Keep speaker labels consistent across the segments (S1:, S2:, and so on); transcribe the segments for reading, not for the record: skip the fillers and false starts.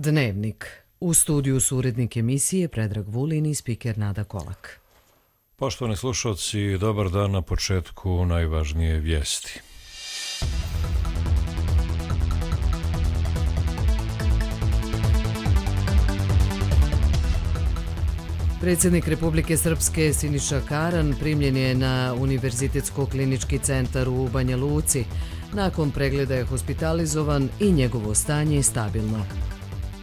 S1: Dnevnik. U studiju su urednik emisije Predrag Vulin i spiker Nada Kolak.
S2: Poštovani slušalci, dobar dan. Na početku najvažnije vijesti.
S1: Predsjednik Republike Srpske Siniša Karan primljen je na Univerzitetsko-klinički centar u Banja Luci. Nakon pregleda je hospitalizovan i njegovo stanje je stabilno.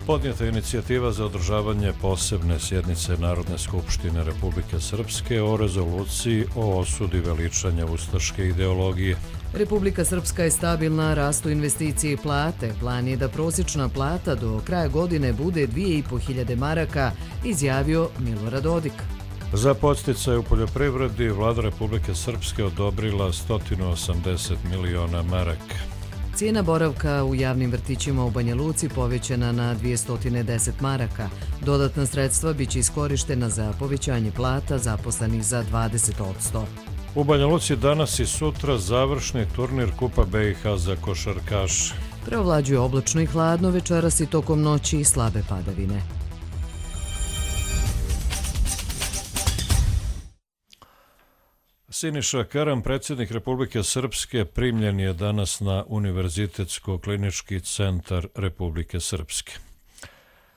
S2: Podnijeta je inicijativa za održavanje posebne sjednice Narodne skupštine Republike Srpske o rezoluciji o osudi veličanja ustaške ideologije.
S1: Republika Srpska je stabilna, rastu investicije i plate. Plan je da prosječna plata do kraja godine bude 2.500 maraka, izjavio Milorad Dodik.
S2: Za podsticaj u poljoprivredi Vlada Republike Srpske odobrila 180 miliona maraka.
S1: Cijena boravka u javnim vrtićima u Banja Luci povećana na 210 maraka. Dodatna sredstva biće iskorištena za povećanje plata zaposlenih za 20%.
S2: U Banja Luci danas i sutra završni turnir Kupa BiH za košarkaše.
S1: Preovlađuje oblačno i hladno, večeras i tokom noći slabe padavine.
S2: Siniša Karan, predsjednik Republike Srpske, primljen je danas na Univerzitetsko-klinički centar Republike Srpske.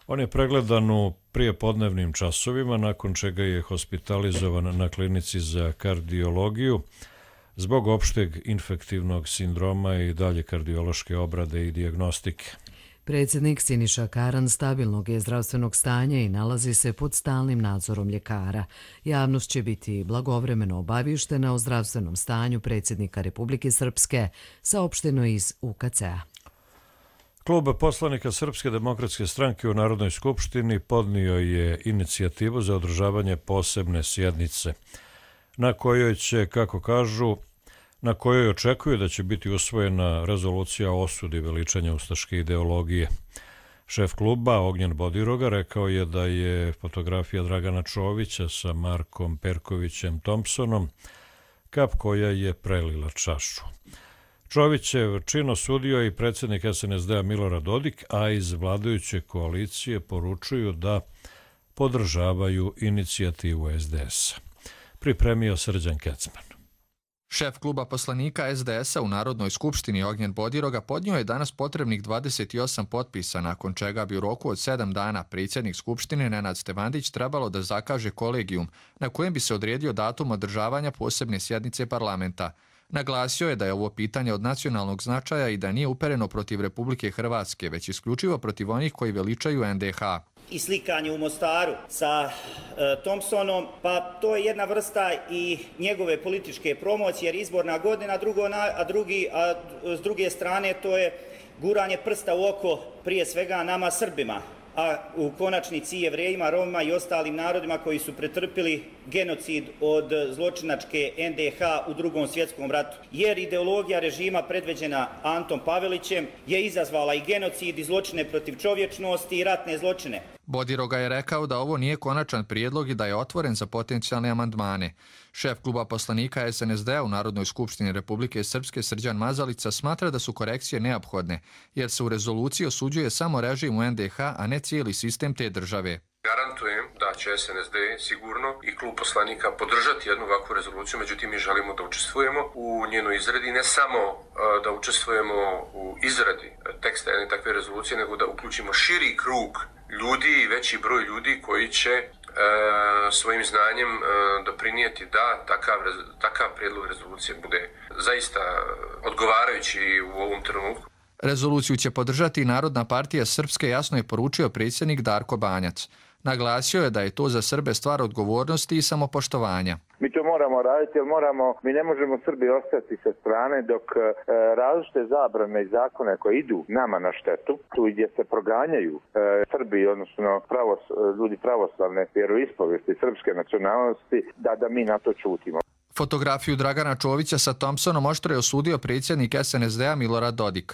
S2: On je pregledan u prijepodnevnim časovima, nakon čega je hospitalizovan na klinici za kardiologiju zbog opšteg infektivnog sindroma i dalje kardiološke obrade i dijagnostike.
S1: Predsjednik Siniša Karan stabilnog je zdravstvenog stanja i nalazi se pod stalnim nadzorom ljekara. Javnost će biti blagovremeno obaviještena o zdravstvenom stanju predsjednika Republike Srpske, saopšteno iz UKC-a.
S2: Klub poslanika Srpske demokratske stranke u Narodnoj skupštini podnio je inicijativu za održavanje posebne sjednice, na kojoj će, kako kažu, na kojoj očekuju da će biti usvojena rezolucija o osudi veličanja ustaške ideologije. Šef kluba Ognjen Bodiroga rekao je da je fotografija Dragana Čovića sa Markom Perkovićem Thompsonom kap koja je prelila čašu. Čovićev čin osudio i predsjednik SNSD-a Milorad Dodik, a iz vladajuće koalicije poručuju da podržavaju inicijativu SDS-a. Pripremio Srđan Kecman.
S3: Šef kluba poslanika SDS-a u Narodnoj skupštini Ognjen Bodiroga podnio je danas potrebnih 28 potpisa, nakon čega bi u roku od 7 dana predsjednik skupštine Nenad Stevandić trebalo da zakaže kolegijum na kojem bi se odredio datum održavanja posebne sjednice parlamenta. Naglasio je da je ovo pitanje od nacionalnog značaja i da nije upereno protiv Republike Hrvatske, već isključivo protiv onih koji veličaju NDH.
S4: I slikanje u Mostaru sa Thompsonom, pa to je jedna vrsta i njegove političke promocije, jer izborna godina, a s druge strane to je guranje prsta u oko prije svega nama Srbima, a u konačnici Jevrejima, Romima i ostalim narodima koji su pretrpili genocid od zločinačke NDH u Drugom svjetskom ratu. Jer ideologija režima predvođena Antom Pavelićem je izazvala i genocid i zločine protiv čovječnosti i ratne zločine.
S3: Bodiroga je rekao da ovo nije konačan prijedlog i da je otvoren za potencijalne amandmane. Šef kluba poslanika SNSD-a u Narodnoj skupštini Republike Srpske Srđan Mazalica smatra da su korekcije neophodne, jer se u rezoluciji osuđuje samo režim u NDH, a ne cijeli sistem te države.
S5: Garantujem da će SNSD sigurno i klub poslanika podržati jednu ovakvu rezoluciju, međutim mi želimo da učestvujemo u njenoj izradi, ne samo da učestvujemo u izradi teksta jedne takve rezolucije, nego da uključimo širi krug ljudi i veći broj ljudi koji će svojim znanjem doprinijeti da takav prijedlog rezolucije bude zaista odgovarajući u ovom trenutku.
S3: Rezoluciju će podržati Narodna partija Srpske, jasno je poručio predsjednik Darko Banjac. Naglasio je da je to za Srbe stvar odgovornosti i samopoštovanja.
S6: Mi to moramo raditi, jer mi ne možemo Srbi ostati sa strane dok različite zabrane i zakone koje idu nama na štetu, tu gdje se proganjaju Srbi, odnosno ljudi pravoslavne vjeroispovijesti srpske nacionalnosti, da mi na to čutimo.
S3: Fotografiju Dragana Čovića sa Thompsonom oštro je osudio predsjednik SNSD-a Milorad Dodik.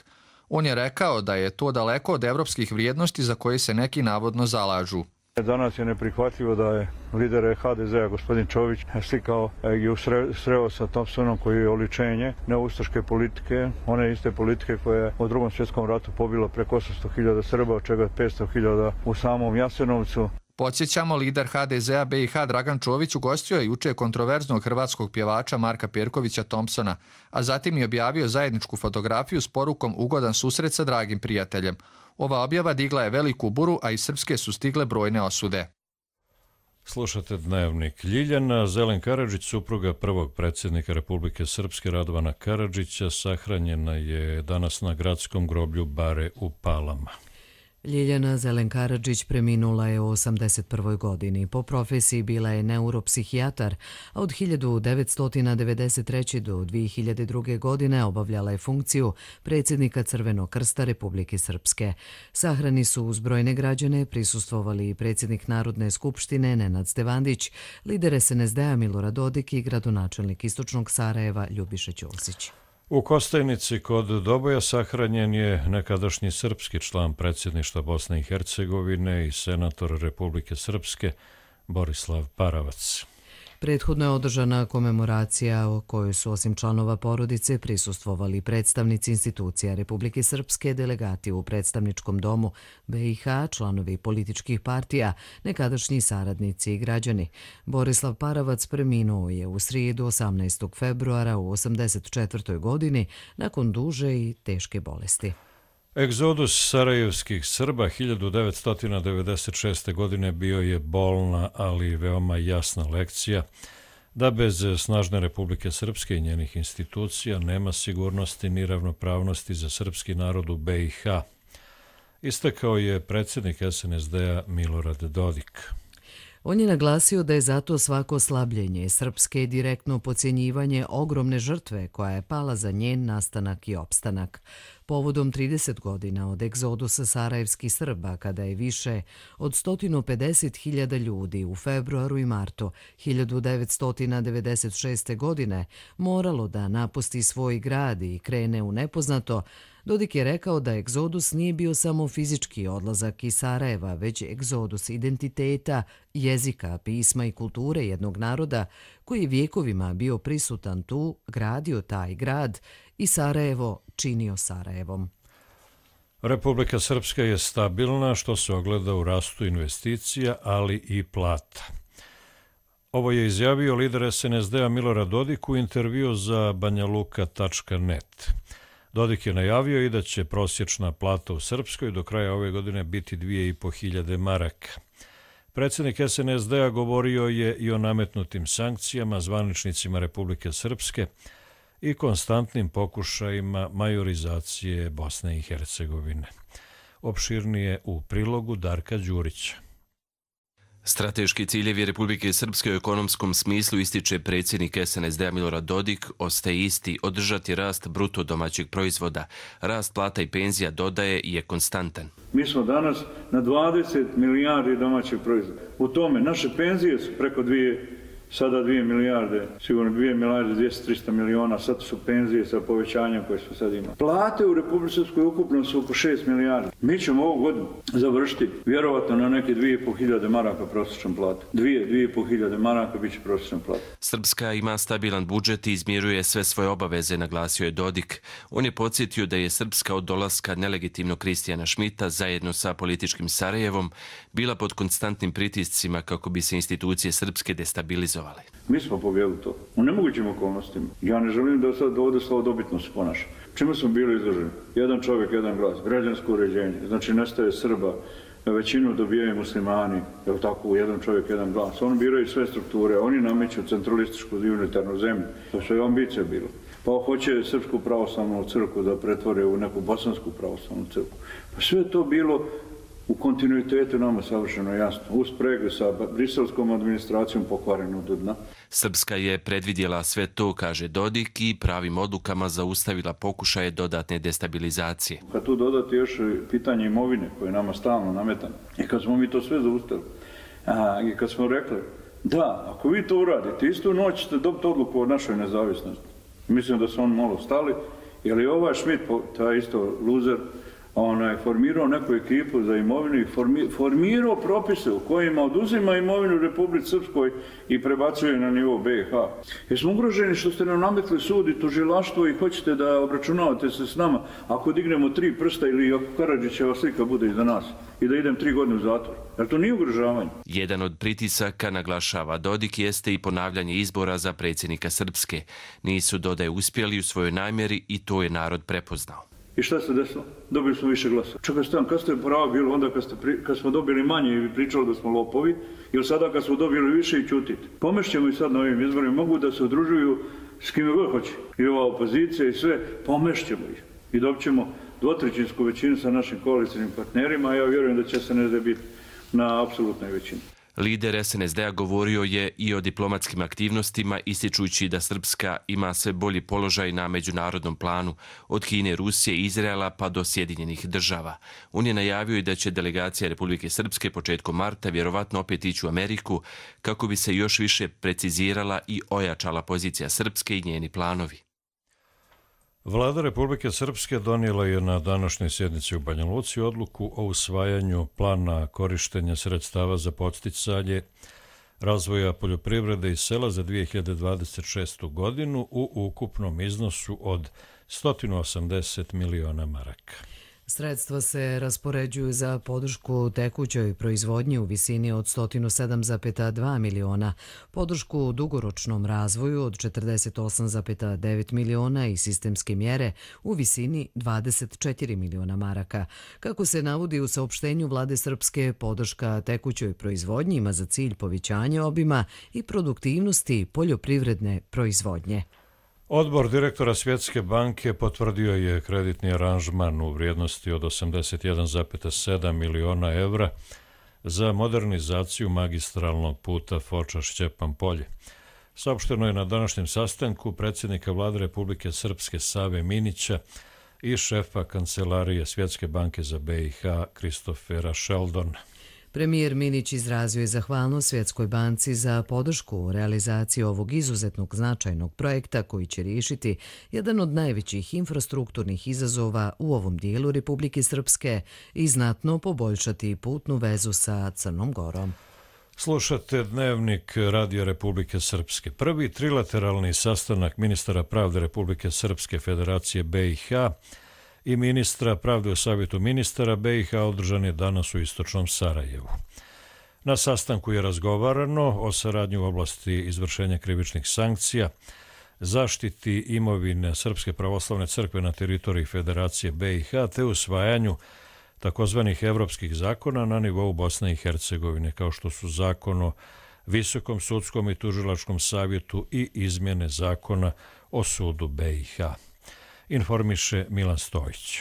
S3: On je rekao da je to daleko od evropskih vrijednosti za koje se neki navodno zalažu.
S7: Danas je neprihvatljivo da je lider HDZ-a gospodin Čović slikao i sreo sa Thompsonom koji je oličenje neustaške politike, one iste politike koja je u Drugom svjetskom ratu pobila preko 800.000 Srba, od čega 500.000 u samom Jasenovcu.
S3: Podsjećamo, lider HDZ-a BiH Dragan Čović ugostio je juče kontroverznog hrvatskog pjevača Marka Perkovića Thompsona, a zatim je objavio zajedničku fotografiju s porukom ugodan susret sa dragim prijateljem. Ova objava digla je veliku buru, a iz Srpske su stigle brojne osude.
S2: Slušate Dnevnik. Ljiljana Zelen Karadžić, supruga prvog predsjednika Republike Srpske Radovana Karadžića, sahranjena je danas na gradskom groblju Bare u Palama.
S1: Ljiljana Zelen Karadžić preminula je u 81. godini. Po profesiji bila je neuropsihijatar, a od 1993. do 2002. godine obavljala je funkciju predsjednika Crvenog krsta Republike Srpske. Sahrani su uz brojne građane prisustvovali i predsjednik Narodne skupštine Nenad Stevandić, lider SNSD-a Milorad Dodik i gradonačelnik Istočnog Sarajeva Ljubiša Ćosić.
S2: U Kostajnici kod Doboja sahranjen je nekadašnji srpski član predsjedništva Bosne i Hercegovine i senator Republike Srpske Borislav Paravac.
S1: Prethodno je održana komemoracija o kojoj su osim članova porodice prisustvovali predstavnici institucija Republike Srpske, delegati u predstavničkom domu BiH, članovi političkih partija, nekadašnji saradnici i građani. Borislav Paravac preminuo je u srijedu 18. februara u 84. godini nakon duže i teške bolesti.
S2: Egzodus sarajevskih Srba 1996. godine bio je bolna, ali veoma jasna lekcija da bez snažne Republike Srpske i njenih institucija nema sigurnosti ni ravnopravnosti za srpski narod u BiH. Istakao je predsjednik SNSD-a Milorad Dodik.
S1: On je naglasio da je zato svako slabljenje Srpske direktno podcjenjivanje ogromne žrtve koja je pala za njen nastanak i opstanak. Povodom 30 godina od egzodusa sarajevskih Srba, kada je više od 150.000 ljudi u februaru i martu 1996. godine moralo da napusti svoj grad i krene u nepoznato, Dodik je rekao da egzodus nije bio samo fizički odlazak iz Sarajeva, već egzodus identiteta, jezika, pisma i kulture jednog naroda koji je vjekovima bio prisutan tu, gradio taj grad i Sarajevo činio Sarajevom.
S2: Republika Srpska je stabilna, što se ogleda u rastu investicija, ali i plata. Ovo je izjavio lider SNSD-a Milorad Dodik u intervju za banjaluka.net. Dodik je najavio i da će prosječna plata u Srpskoj do kraja ove godine biti 2.500 maraka. Predsjednik SNSD-a govorio je i o nametnutim sankcijama zvaničnicima Republike Srpske i konstantnim pokušajima majorizacije Bosne i Hercegovine. Opširnije u prilogu Darka Đurića.
S8: Strateški ciljevi Republike Srpske u ekonomskom smislu, ističe predsjednik SNSD-a Milorad Dodik, ostaje isti: održati rast bruto domaćeg proizvoda. Rast plata i penzija, dodaje, je konstantan.
S7: Mi smo danas na 20 milijardi domaćeg proizvoda. U tome naše penzije su preko 2 milijarde, sigurno 2 milijarde 200-300 miliona, sad su penzije sa povećanjem koje smo sad imali. Plate u Republike Srpskoj ukupno su oko 6 milijardi. Mi ćemo ovu godinu završiti vjerovatno na neke 2.500 maraka prosječnom platu. 2.500 maraka bit će prosječna plata.
S8: Srpska ima stabilan budžet i izmiruje sve svoje obaveze, naglasio je Dodik. On je podsjetio da je Srpska od dolaska nelegitimnog Kristijana Šmita zajedno sa političkim Sarajevom bila pod konstantnim pritiscima kako bi se institucije srpske destabilizovale.
S7: Mi smo pobjedili to. U nemogućim okolnostima. Ja ne želim da sad ovdje slavodobitno se ponaša. Čemu smo bili izloženi? Jedan čovjek, jedan glas. Građansko uređenje. Znači nestaje Srba. Većinu dobijaju muslimani. Evo tako, jedan čovjek, jedan glas. Oni biraju sve strukture. Oni nameću centralističku unitarnu zemlju. To su je ambicija bilo. Pa hoće Srpsku pravoslavnu crkvu da pretvore u neku bosansku pravoslavnu crkvu. Pa sve to bilo u kontinuitetu nama savršeno jasno, u spregu sa briselskom administracijom pokvareno do dna.
S8: Srpska je predvidjela sve to, kaže Dodik, i pravim odlukama zaustavila pokušaje dodatne destabilizacije.
S7: Kad tu dodati još pitanje imovine koje je nama stalno nametano, i kad smo mi to sve zaustavili, i kad smo rekli, da, ako vi to uradite, istu noć ćete dobiti odluku o našoj nezavisnosti. Mislim da su oni malo stali, jer je ovaj Šmit, taj isto luzer, formirao neku ekipu za imovinu i formirao propise u kojima oduzima imovinu Republici Srpskoj i prebacuje na nivo BiH. Jer smo ugroženi što ste nam nametli sud i tužilaštvo i hoćete da obračunavate se s nama ako dignemo 3 prsta ili ako Karadžićeva slika bude iza nas i da idem 3 godine u zatvor. Jer to nije ugrožavanje.
S8: Jedan od pritisaka, naglašava Dodik, jeste i ponavljanje izbora za predsjednika Srpske. Nisu, dodaje, uspjeli u svojoj namjeri i to je narod prepoznao.
S7: I šta se desilo? Dobili smo više glasa. Čekaj, kad ste pravo bilo onda kad smo dobili manje i pričali da smo lopovi, ili sada kad smo dobili više i ćutite. Pomešćemo i sad na ovim izborima, mogu da se udružuju s kime god hoće. I ova opozicija i sve, pomešćemo ih. I dobit ćemo 2/3 većinu sa našim koalicijnim partnerima, a ja vjerujem da će SNSD biti na apsolutnoj većini.
S8: Lider SNSD-a govorio je i o diplomatskim aktivnostima, ističujući da Srpska ima sve bolji položaj na međunarodnom planu, od Kine, Rusije i Izraela pa do Sjedinjenih država. On je najavio i da će delegacija Republike Srpske početkom marta vjerovatno opet ići u Ameriku kako bi se još više precizirala i ojačala pozicija Srpske i njeni planovi.
S2: Vlada Republike Srpske donijela je na današnjoj sjednici u Banja Luci odluku o usvajanju plana korištenja sredstava za podsticanje razvoja poljoprivrede i sela za 2026. godinu u ukupnom iznosu od 180 miliona maraka.
S1: Sredstva se raspoređuju za podršku tekućoj proizvodnji u visini od 107,2 miliona, podršku dugoročnom razvoju od 48,9 miliona i sistemske mjere u visini 24 miliona maraka. Kako se navodi u saopštenju Vlade Srpske, podrška tekućoj proizvodnji ima za cilj povećanje obima i produktivnosti poljoprivredne proizvodnje.
S2: Odbor direktora Svjetske banke potvrdio je kreditni aranžman u vrijednosti od 81,7 miliona evra za modernizaciju magistralnog puta Foča-Šćepan Polje. Saopšteno je na današnjem sastanku predsjednika Vlade Republike Srpske Save Minića i šefa Kancelarije Svjetske banke za BiH Kristofera Sheldona.
S1: Premijer Minić izrazio je zahvalnost Svjetskoj banci za podršku u realizaciji ovog izuzetnog značajnog projekta koji će riješiti jedan od najvećih infrastrukturnih izazova u ovom dijelu Republike Srpske i znatno poboljšati putnu vezu sa Crnom Gorom.
S2: Slušate Dnevnik Radija Republike Srpske. Prvi trilateralni sastanak ministara pravde Republike Srpske Federacije BiH i ministra pravde u Savjetu ministara BiH održan je danas u istočnom Sarajevu. Na sastanku je razgovarano o saradnji u oblasti izvršenja krivičnih sankcija, zaštiti imovine Srpske pravoslavne crkve na teritoriji Federacije BiH te usvajanju takozvanih evropskih zakona na nivou Bosne i Hercegovine, kao što su zakon o Visokom sudskom i tužilačkom savjetu i izmjene zakona o sudu BiH. Informiše Milan Stojić.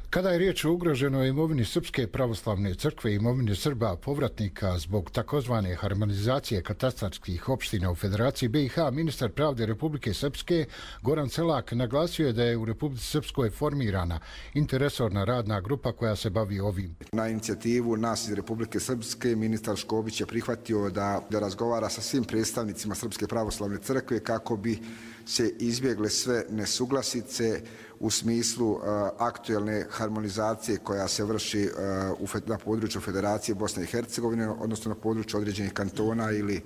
S9: Kada je riječ o ugroženoj imovini Srpske pravoslavne crkve i imovine Srba povratnika zbog takozvane harmonizacije katastarskih opština u Federaciji BiH, ministar pravde Republike Srpske Goran Selak naglasio je da je u Republici Srpskoj formirana interresorna radna grupa koja se bavi ovim.
S10: Na inicijativu nas iz Republike Srpske ministar Škobić je prihvatio da razgovara sa svim predstavnicima Srpske pravoslavne crkve kako bi se izbjegle sve nesuglasice u smislu aktuelne harmonizacije koja se vrši na području Federacije Bosne i Hercegovine, odnosno na području određenih kantona ili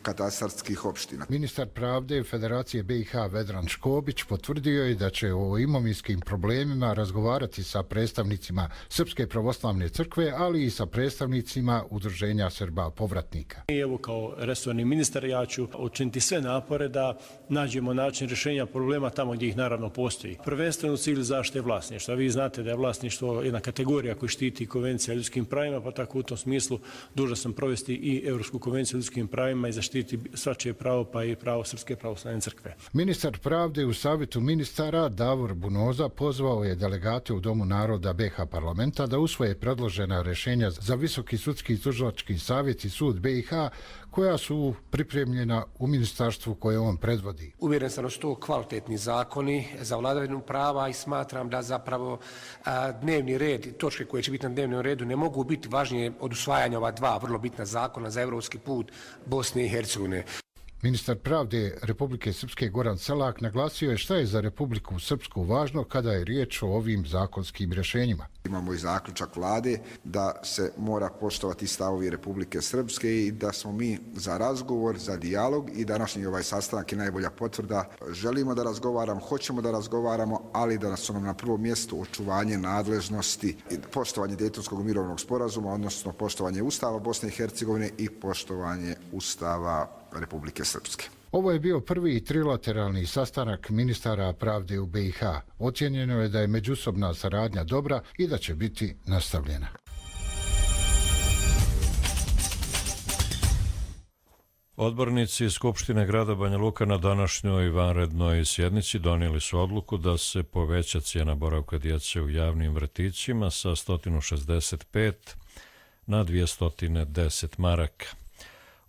S10: katastarskih opština.
S9: Ministar pravde Federacije BiH Vedran Škobić potvrdio je da će o imovinskim problemima razgovarati sa predstavnicima Srpske pravoslavne crkve, ali i sa predstavnicima Udruženja Srba povratnika.
S11: Evo kao resorni ministar ja ću učiniti sve napore da nađemo način rješenja problema tamo gdje ih naravno postoji. Prvenstveno u cilju zaštite vlasništva. Vi znate da je vlasništvo jedna kategorija koju štiti Konvencija o ljudskim pravima, pa tako u tom smislu dužan sam provesti i Europsku konvenciju o ljudskim pravima i zaštiti svačije pravo, pa i pravo Srpske pravoslavne crkve.
S9: Ministar pravde u Savjetu ministara Davor Bunoza pozvao je delegate u Domu naroda BiH parlamenta da usvoje predložena rješenja za Visoki sudski i tužilački savjet i sud BiH koja su pripremljena u ministarstvu koje on predvodi.
S12: Uvjeren sam da su to kvalitetni zakoni za vladavinu prava i smatram da zapravo dnevni red, točke koje će biti na dnevnom redu ne mogu biti važnije od usvajanja ova dva vrlo bitna zakona za evropski put Bosne i Hercegovine.
S9: Ministar pravde Republike Srpske Goran Selak naglasio je šta je za Republiku Srpsku važno kada je riječ o ovim zakonskim rješenjima.
S10: Imamo i zaključak vlade da se mora poštovati stavovi Republike Srpske i da smo mi za razgovor, za dijalog i današnji ovaj sastanak je najbolja potvrda. Želimo da razgovaramo, hoćemo da razgovaramo, ali da su nam na prvom mjestu očuvanje nadležnosti, poštovanje Dejtonskog mirovnog sporazuma, odnosno poštovanje Ustava Bosne i Hercegovine i poštovanje Ustava Republike Srpske.
S9: Ovo je bio prvi trilateralni sastanak ministara pravde u BiH. Ocijenjeno je da je međusobna saradnja dobra i da će biti nastavljena.
S2: Odbornici Skupštine grada Banja Luka na današnjoj vanrednoj sjednici donijeli su odluku da se poveća cijena boravka djece u javnim vrtićima sa 165 na 210 maraka.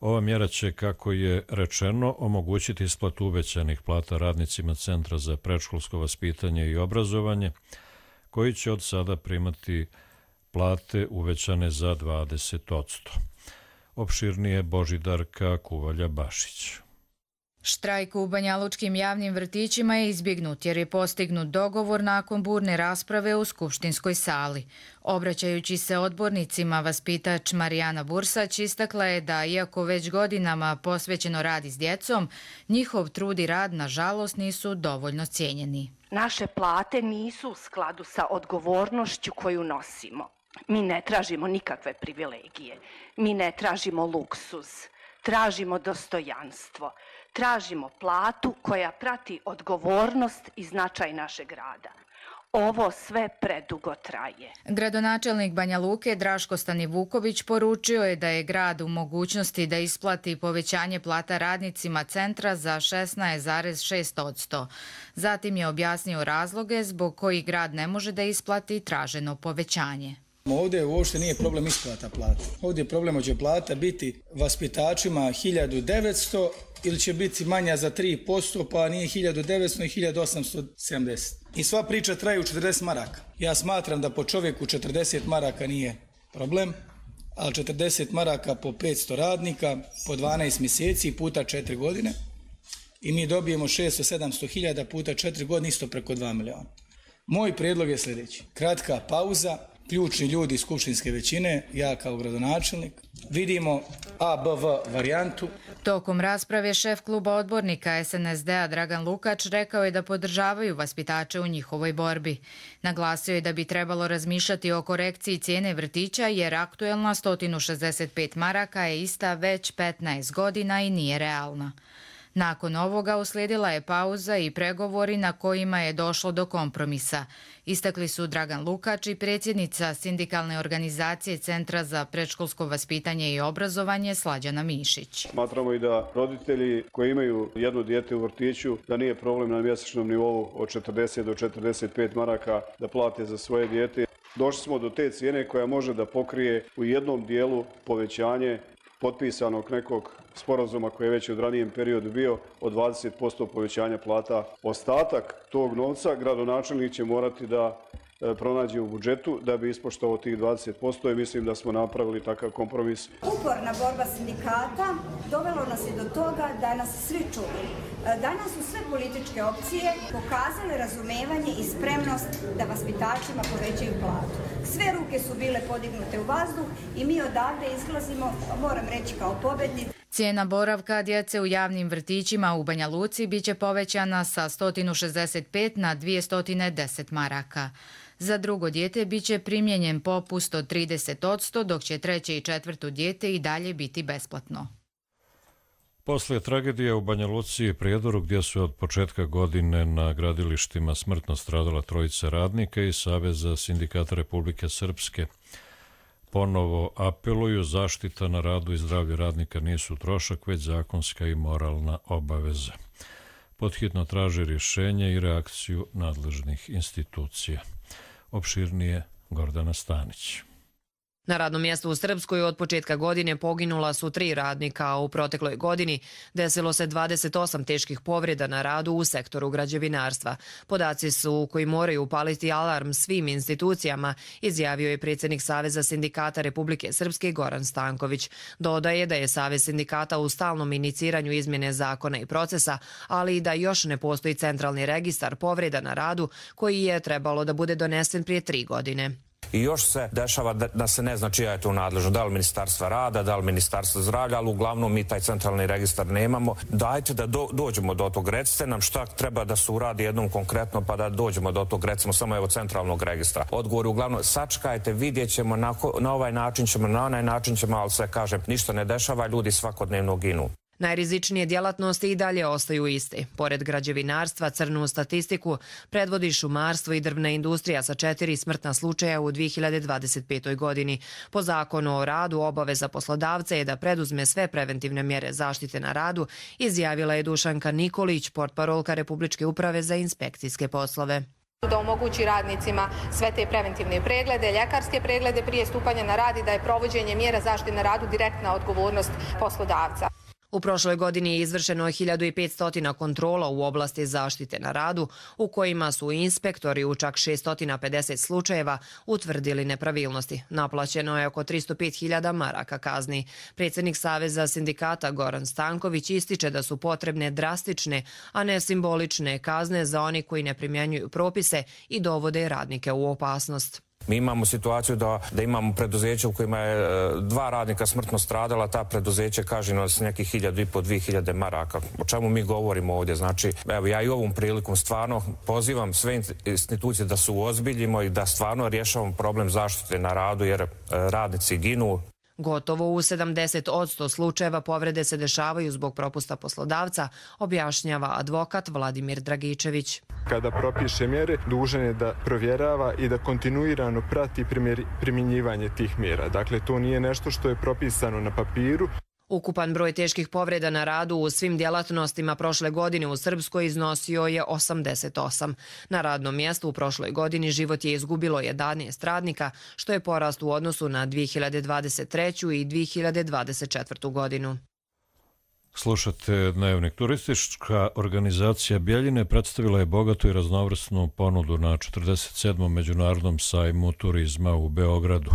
S2: Ova mjera će, kako je rečeno, omogućiti isplatu uvećanih plata radnicima Centra za predškolsko vaspitanje i obrazovanje, koji će od sada primati plate uvećane za 20%. Opširnije Božidarka Kuvalja-Bašić.
S13: Štrajk u banjalučkim javnim vrtićima je izbjegnut jer je postignut dogovor nakon burne rasprave u skupštinskoj sali. Obraćajući se odbornicima, vaspitač Marijana Bursać istakla je da, iako već godinama posvećeno radi s djecom, njihov trud i rad, nažalost, nisu dovoljno cijenjeni.
S14: Naše plate nisu u skladu sa odgovornošću koju nosimo. Mi ne tražimo nikakve privilegije, mi ne tražimo luksuz, tražimo dostojanstvo. Tražimo platu koja prati odgovornost i značaj našeg rada. Ovo sve predugo traje.
S13: Gradonačelnik Banja Luke Draško Stanivuković poručio je da je grad u mogućnosti da isplati povećanje plata radnicima centra za 16,6%. Zatim je objasnio razloge zbog kojih grad ne može da isplati traženo povećanje.
S15: Ovdje uopšte nije problem isplata plata. Ovdje je problem hoće plata biti vaspitačima 1900 ili će biti manja za 3%, pa nije 1900 i 1870. I sva priča traje u 40 maraka. Ja smatram da po čovjeku 40 maraka nije problem, ali 40 maraka po 500 radnika, po 12 mjeseci puta 4 godine i mi dobijemo 600-700 hiljada puta 4 godine, isto preko 2 miliona. Moj prijedlog je sljedeći. Kratka pauza, ključni ljudi iz skupštinske većine, ja kao gradonačelnik, vidimo ABV varijantu.
S13: Tokom rasprave šef kluba odbornika SNSD-a Dragan Lukač rekao je da podržavaju vaspitače u njihovoj borbi. Naglasio je da bi trebalo razmišljati o korekciji cijene vrtića jer aktuelna 165 maraka je ista već 15 godina i nije realna. Nakon ovoga uslijedila je pauza i pregovori na kojima je došlo do kompromisa. Istakli su Dragan Lukač i predsjednica sindikalne organizacije Centra za predškolsko vaspitanje i obrazovanje Slađana Mišić.
S16: Smatramo i da roditelji koji imaju jedno dijete u vrtiću, da nije problem na mjesečnom nivou od 40 do 45 maraka da plate za svoje dijete. Došli smo do te cijene koja može da pokrije u jednom dijelu povećanje potpisanog nekog sporazuma koji je već u ranijem periodu bio od 20% povećanja plata. Ostatak tog novca gradonačelnik će morati da pronađe u budžetu da bi ispoštovao tih 20% i mislim da smo napravili takav kompromis.
S17: Uporna borba sindikata dovelo nas je do toga da nas svi čuli. Danas su sve političke opcije pokazale razumevanje i spremnost da vaspitačima povećaju platu. Sve ruke su bile podignute u vazduh i mi odavde izlazimo, moram reći, kao pobednici.
S13: Cijena boravka djece u javnim vrtićima u Banja Luci biće povećana sa 165 na 210 maraka. Za drugo dijete biće primijenjen popust od 30%, dok će treće i četvrto dijete i dalje biti besplatno.
S2: Poslije tragedije u Banja Luci i Prijedoru, gdje su od početka godine na gradilištima smrtno stradala trojica radnika i Saveza sindikata Republike Srpske ponovo apeluju, zaštita na radu i zdravlje radnika nisu trošak, već zakonska i moralna obaveza. Podhitno traže rješenje i reakciju nadležnih institucija. Opširnije Gordana Stanić.
S18: Na radnom mjestu u Srpskoj od početka godine poginula su 3 radnika, a u protekloj godini desilo se 28 teških povreda na radu u sektoru građevinarstva. Podaci su koji moraju upaliti alarm svim institucijama, izjavio je predsjednik Saveza sindikata Republike Srpske Goran Stanković. Dodaje da je Savez sindikata u stalnom iniciranju izmjene zakona i procesa, ali i da još ne postoji centralni registar povreda na radu koji je trebalo da bude donesen prije 3 godine.
S19: I još se dešava da se ne zna čija je to nadležno, da li Ministarstva rada, da li Ministarstva zdravlja, ali uglavnom mi taj centralni registar nemamo. Dajte da dođemo do tog, recite nam šta treba da se uradi jednom konkretno, pa da dođemo do tog, recimo samo evo centralnog registra. Odgovor uglavnom, sačekajte, vidjet ćemo, na ovaj način ćemo, na onaj način ćemo, ali se kažem, ništa ne dešava, ljudi svakodnevno ginu.
S18: Najrizičnije djelatnosti i dalje ostaju iste. Pored građevinarstva, crnu statistiku predvodi šumarstvo i drvna industrija sa 4 smrtna slučaja u 2025. godini. Po zakonu o radu obaveza poslodavca je da preduzme sve preventivne mjere zaštite na radu, izjavila je Dušanka Nikolić, portparolka Republičke uprave za inspekcijske poslove.
S20: Da omogući radnicima sve te preventivne preglede, ljekarske preglede prije stupanja na rad i da je provođenje mjera zaštite na radu direktna odgovornost poslodavca.
S18: U prošloj godini je izvršeno 1500 kontrola u oblasti zaštite na radu, u kojima su inspektori u čak 650 slučajeva utvrdili nepravilnosti. Naplaćeno je oko 305.000 maraka kazni. Predsjednik Saveza sindikata Goran Stanković ističe da su potrebne drastične, a ne simbolične kazne za oni koji ne primjenjuju propise i dovode radnike u opasnost.
S19: Mi imamo situaciju da imamo preduzeće u kojima je 2 radnika smrtno stradala, ta preduzeće kažnjeno s nekih 1.500–2.000 maraka. O čemu mi govorimo ovdje? Znači, evo, ja i ovom prilikom stvarno pozivam sve institucije da se uozbiljimo i da stvarno rješavamo problem zaštite na radu, jer radnici ginu.
S18: Gotovo u 70% slučajeva povrede se dešavaju zbog propusta poslodavca, objašnjava advokat Vladimir Dragičević.
S21: Kada propiše mjere, dužan je da provjerava i da kontinuirano prati primjenjivanje tih mjera. Dakle, to nije nešto što je propisano na papiru.
S18: Ukupan broj teških povreda na radu u svim djelatnostima prošle godine u Srpskoj iznosio je 88. Na radnom mjestu u prošloj godini život je izgubilo 11 radnika, što je porast u odnosu na 2023. i 2024. godinu.
S2: Slušate Dnevnik. Turistička organizacija Bjeljine predstavila je bogatu i raznovrsnu ponudu na 47. Međunarodnom sajmu turizma u Beogradu.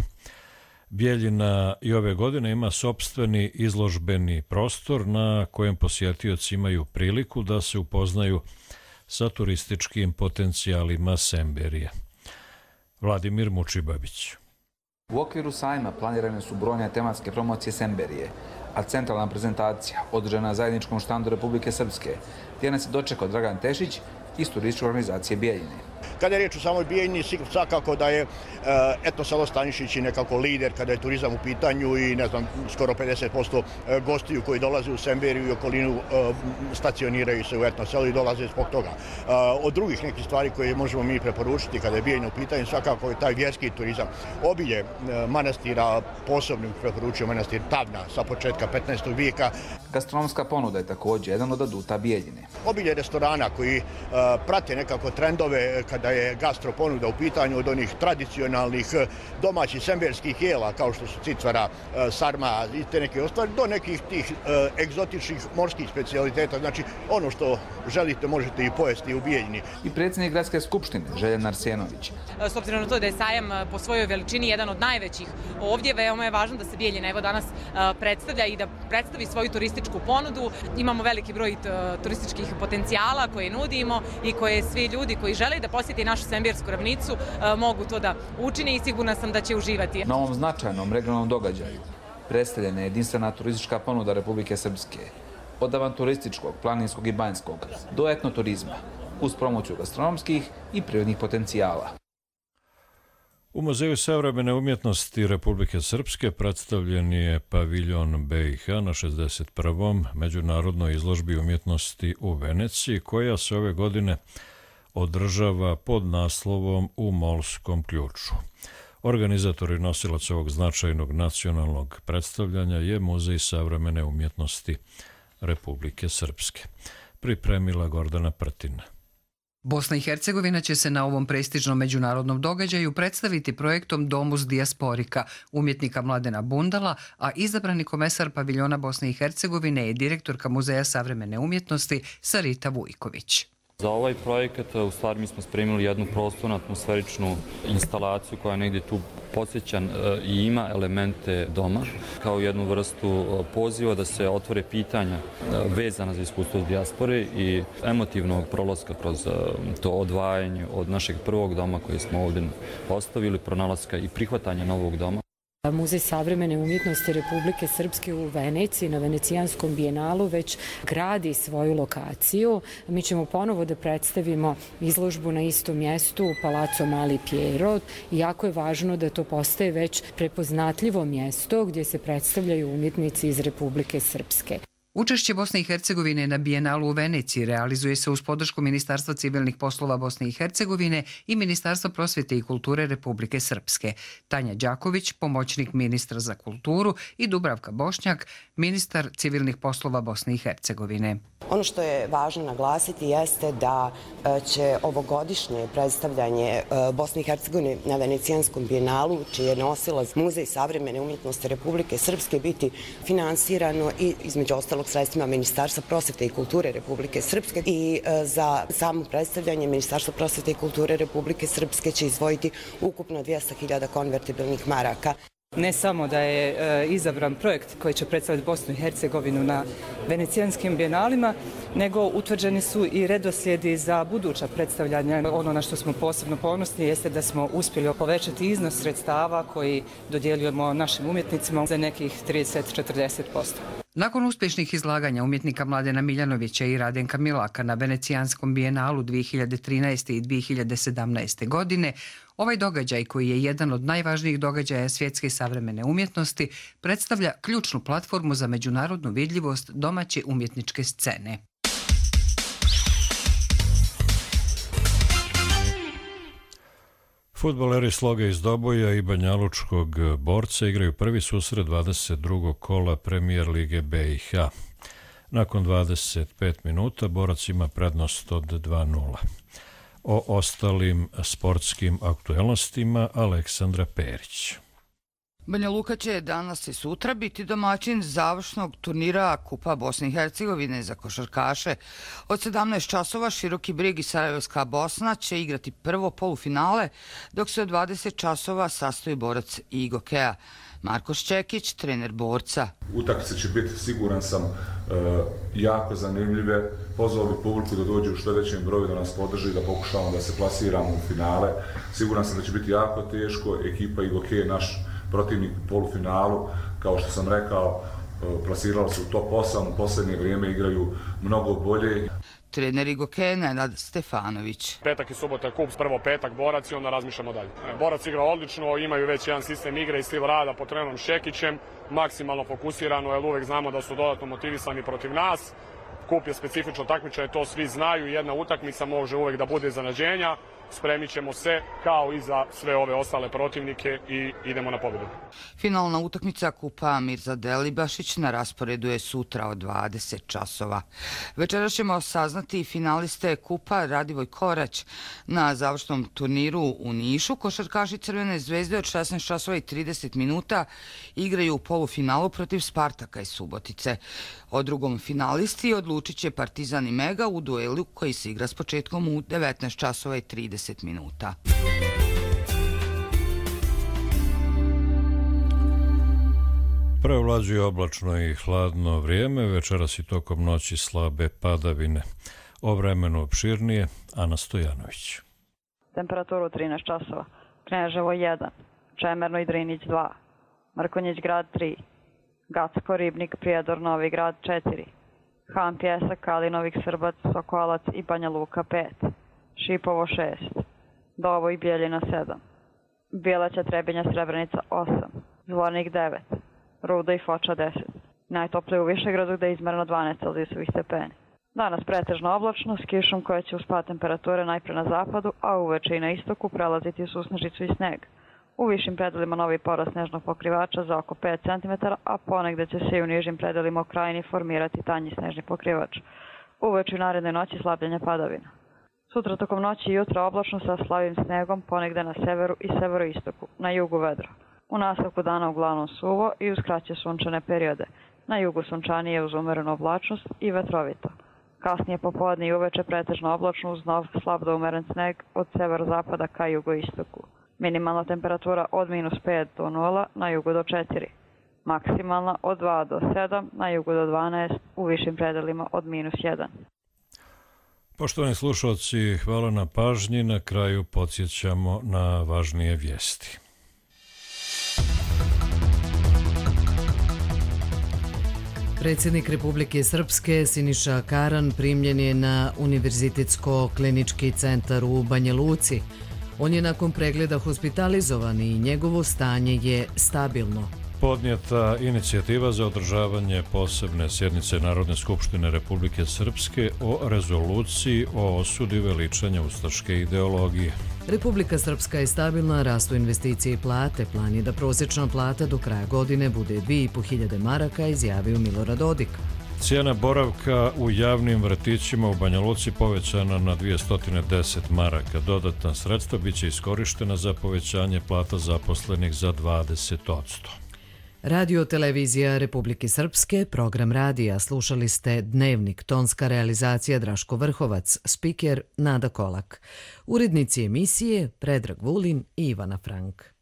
S2: Bjeljina i ove godine ima sopstveni izložbeni prostor na kojem posjetioci imaju priliku da se upoznaju sa turističkim potencijalima Semberije. Vladimir Mučibabić.
S22: U okviru sajma planirane su brojne tematske promocije Semberije, a centralna prezentacija održana na zajedničkom štandu Republike Srpske, gdje nas je dočekao Dragan Tešić iz turističke organizacije Bjeljine.
S23: Kada je riječ o samoj Bijeljini, svakako da je Etno selo Stanišić nekako lider kada je turizam u pitanju i ne znam, skoro 50% gostiju koji dolaze u Semberiju i okolinu stacioniraju se u Etno selu i dolaze zbog toga. Od drugih nekih stvari koje možemo mi preporučiti kada je Bijeljina u pitanju, svakako je taj vjerski turizam. Obilje manastira, posebno preporučio manastir Tavna sa početka 15. vijeka.
S22: Gastronomska ponuda je također jedan od aduta Bijeljine.
S23: Obilje restorana koji prate nekako trendove kada je gastro ponuda u pitanju, od onih tradicionalnih domaćih semberskih jela kao što su cicvara, sarma i te neke ostvari, do nekih tih egzotičnih morskih specijaliteta. Znači ono što želite možete i pojesti u Bijeljini.
S22: I predsjednik gradske skupštine Željan Arsenović.
S24: S obzirom na to da je sajam po svojoj veličini jedan od najvećih ovdje, veoma je važno da se Bijeljina evo danas predstavlja i da predstavi svoju turističku ponudu. Imamo veliki broj turističkih potencijala koje nudimo i koje svi ljudi koji žele da posjeti našu Sembersku ravnicu mogu to da učine i sigurna sam da će uživati.
S22: Na ovom značajnom regionalnom događaju predstavljena je jedinstvena turistička ponuda Republike Srpske. Od avanturističkog, planinskog i banjskog do etnoturizma, uz promociju gastronomskih i prirodnih potencijala.
S2: U Muzeju savremene umjetnosti Republike Srpske predstavljen je paviljon BiH na 61. međunarodnoj izložbi umjetnosti u Veneciji, koja se ove godine održava pod naslovom U Molskom ključu. Organizator i nosilac ovog značajnog nacionalnog predstavljanja je Muzej savremene umjetnosti Republike Srpske. Pripremila Gordana Prtina.
S3: Bosna i Hercegovina će se na ovom prestižnom međunarodnom događaju predstaviti projektom Domus Dijasporika umjetnika Mladena Bundala, a izabrani komesar paviljona Bosne i Hercegovine je direktorka Muzeja savremene umjetnosti Sarita Vujković.
S4: Za ovaj projekat u stvari mi smo spremili jednu prostornu atmosferičnu instalaciju koja negdje tu podsjećan i ima elemente doma, kao jednu vrstu poziva da se otvore pitanja vezana za iskustvo dijaspore i emotivnog prolaska kroz to odvajanje od našeg prvog doma koji smo ovdje ostavili, pronalaska i prihvatanja novog doma.
S5: Muzej savremene umjetnosti Republike Srpske u Veneciji na Venecijanskom bijenalu već gradi svoju lokaciju. Mi ćemo ponovo da predstavimo izložbu na istom mjestu u Palazzo Mali Piero. Jako je važno da to postaje već prepoznatljivo mjesto gdje se predstavljaju umjetnici iz Republike Srpske.
S3: Učešće Bosne i Hercegovine na Bijenalu u Veneciji realizuje se uz podršku Ministarstva civilnih poslova Bosne i Hercegovine i Ministarstva prosvjete i kulture Republike Srpske. Tanja Đaković, pomoćnik ministra za kulturu, i Dubravka Bošnjak, ministar civilnih poslova Bosne i Hercegovine.
S6: Ono što je važno naglasiti jeste da će ovogodišnje predstavljanje Bosne i Hercegovine na Venecijanskom bijenalu, čiji je nosilac Muzej savremene umjetnosti Republike Srpske, biti finansirano i između ostalog sredstvima Ministarstva prosvjete i kulture Republike Srpske, i za samo predstavljanje Ministarstva prosvjete i kulture Republike Srpske će izdvojiti ukupno 200.000 konvertibilnih maraka.
S25: Ne samo da je izabran projekt koji će predstaviti Bosnu i Hercegovinu na venecijanskim bijenalima, nego utvrđeni su i redoslijedi za buduća predstavljanja. Ono na što smo posebno ponosni jeste da smo uspjeli povećati iznos sredstava koji dodjeljujemo našim umjetnicima za nekih 30-40%.
S3: Nakon uspješnih izlaganja umjetnika Mladena Miljanovića i Radenka Milaka na Venecijanskom bijenalu 2013. i 2017. godine, ovaj događaj, koji je jedan od najvažnijih događaja svjetske savremene umjetnosti, predstavlja ključnu platformu za međunarodnu vidljivost domaće umjetničke scene.
S2: Fudbaleri Sloga iz Doboja i Banjalučkog Borca igraju prvi susret 22. kola Premijer Lige BiH. Nakon 25 minuta Borac ima prednost od 2:0. O ostalim sportskim aktuelnostima Aleksandra Perić.
S26: Banja Luka će danas i sutra biti domaćin završnog turnira Kupa Bosne i Hercegovine za košarkaše. Od 17 časova Široki Brig i Sarajevska Bosna će igrati prvo polufinale, dok se od 20 časova sastoji Borac i Igokea. Marko Šćekić, trener Borca.
S27: Utakmice će biti, siguran sam, jako zanimljive. Pozvao bi publiku da dođe u što većem broju, da nas podrži, da pokušamo da se plasiramo u finale. Siguran sam da će biti jako teško. Ekipa Igokea, naš protivnik u polufinalu, kao što sam rekao, plasirali su u top 8, u posljednje vrijeme igraju mnogo bolje.
S26: Trener Igokea Nenad Stefanović.
S28: Petak i subota je kup, prvo petak Borac i onda razmišljamo dalje. Borac igra odlično, imaju već jedan sistem igre i stil rada pod trenerom Šekićem, maksimalno fokusirano, jer uvijek znamo da su dodatno motivisani protiv nas. Kup je specifično takmičenje, to svi znaju, jedna utakmica može uvijek da bude iznenađenja. Spremit ćemo se kao i za sve ove ostale protivnike i idemo na pobjedu.
S26: Finalna utakmica Kupa Mirza Delibašić na rasporedu je sutra od 20 časova. Večeras ćemo saznati finaliste Kupa Radivoj Korać. Na završnom turniru u Nišu košarkaši Crvene zvezde od 16 časova i 30 minuta igraju u polufinalu protiv Spartaka iz Subotice. O drugom finalisti odlučit će Partizan i Mega u duelu koji se igra s početkom u 19 časova i 30 minuta.
S2: Prevlađuje oblačno i hladno vrijeme, večeras i tokom noći slabe padavine. O vremenu opširnije, Ana Stojanović.
S29: Temperaturu 13 časova. Kneževo 1, Čemerno i Drinić 2, Mrkonjić grad 3, Gacko, Ribnik, Prijedor, Novi grad 4, Han, Pjesak, Kalinovik, Srbac, Sokolac i Banja Luka 5, Šipovo 6, Dovo i Bijeljina 7, Bijeleća, Trebinja, Srebrenica 8, Zvornik 9, Ruda i Foča 10. Najtoplije u Višegradu gde je izmereno 12 celzijusovih stepeni. Danas pretežno oblačno s kišom koja će uz pad temperature najpre na zapadu, a uveče i na istoku prelaziti u susnežicu i sneg. U višim predelima novi porast snežnog pokrivača za oko 5 cm, a ponegde će se i u nižim predelima u krajini formirati tanji snežni pokrivač. Uveče i naredne noći slabljenja padavina. Sutra tokom noći i jutra oblačno sa slabim snegom ponegde na severu i severoistoku, na jugu vedro. U nastavku dana uglavnom suvo i uz kraće sunčane periode. Na jugu sunčanije uz umerenu oblačnost i vetrovito. Kasnije popodne i uveče pretežno oblačno uz nov slab do umeren sneg od severozapada ka jugoistoku. Minimalna temperatura od -5 do 0, na jugu do 4. Maksimalna od 2 do 7, na jugu do 12, u višim predelima od -1.
S2: Poštovani slušalci, hvala na pažnji. Na kraju podsjećamo na važnije vijesti.
S1: Predsjednik Republike Srpske Siniša Karan primljen je na Univerzitetsko-klinički centar u Banja Luci. On je nakon pregleda hospitalizovan i njegovo stanje je stabilno.
S2: Podnijeta inicijativa za održavanje posebne sjednice Narodne skupštine Republike Srpske o rezoluciji o osudi veličanja ustaške ideologije.
S1: Republika Srpska je stabilna, rastu investicije i plate. Plan je da prosječna plata do kraja godine bude 2.500 maraka, izjavio Milorad Dodik.
S2: Cijena boravka u javnim vrtićima u Banja Luci povećana na 210 maraka. Dodatna sredstva biće iskorištena za povećanje plata zaposlenih za 20%.
S1: Radio televizija Republike Srpske, program radija. Slušali ste Dnevnik, tonska realizacija Draško Vrhovac, spiker Nada Kolak. Urednici emisije Predrag Vulin i Ivana Frank.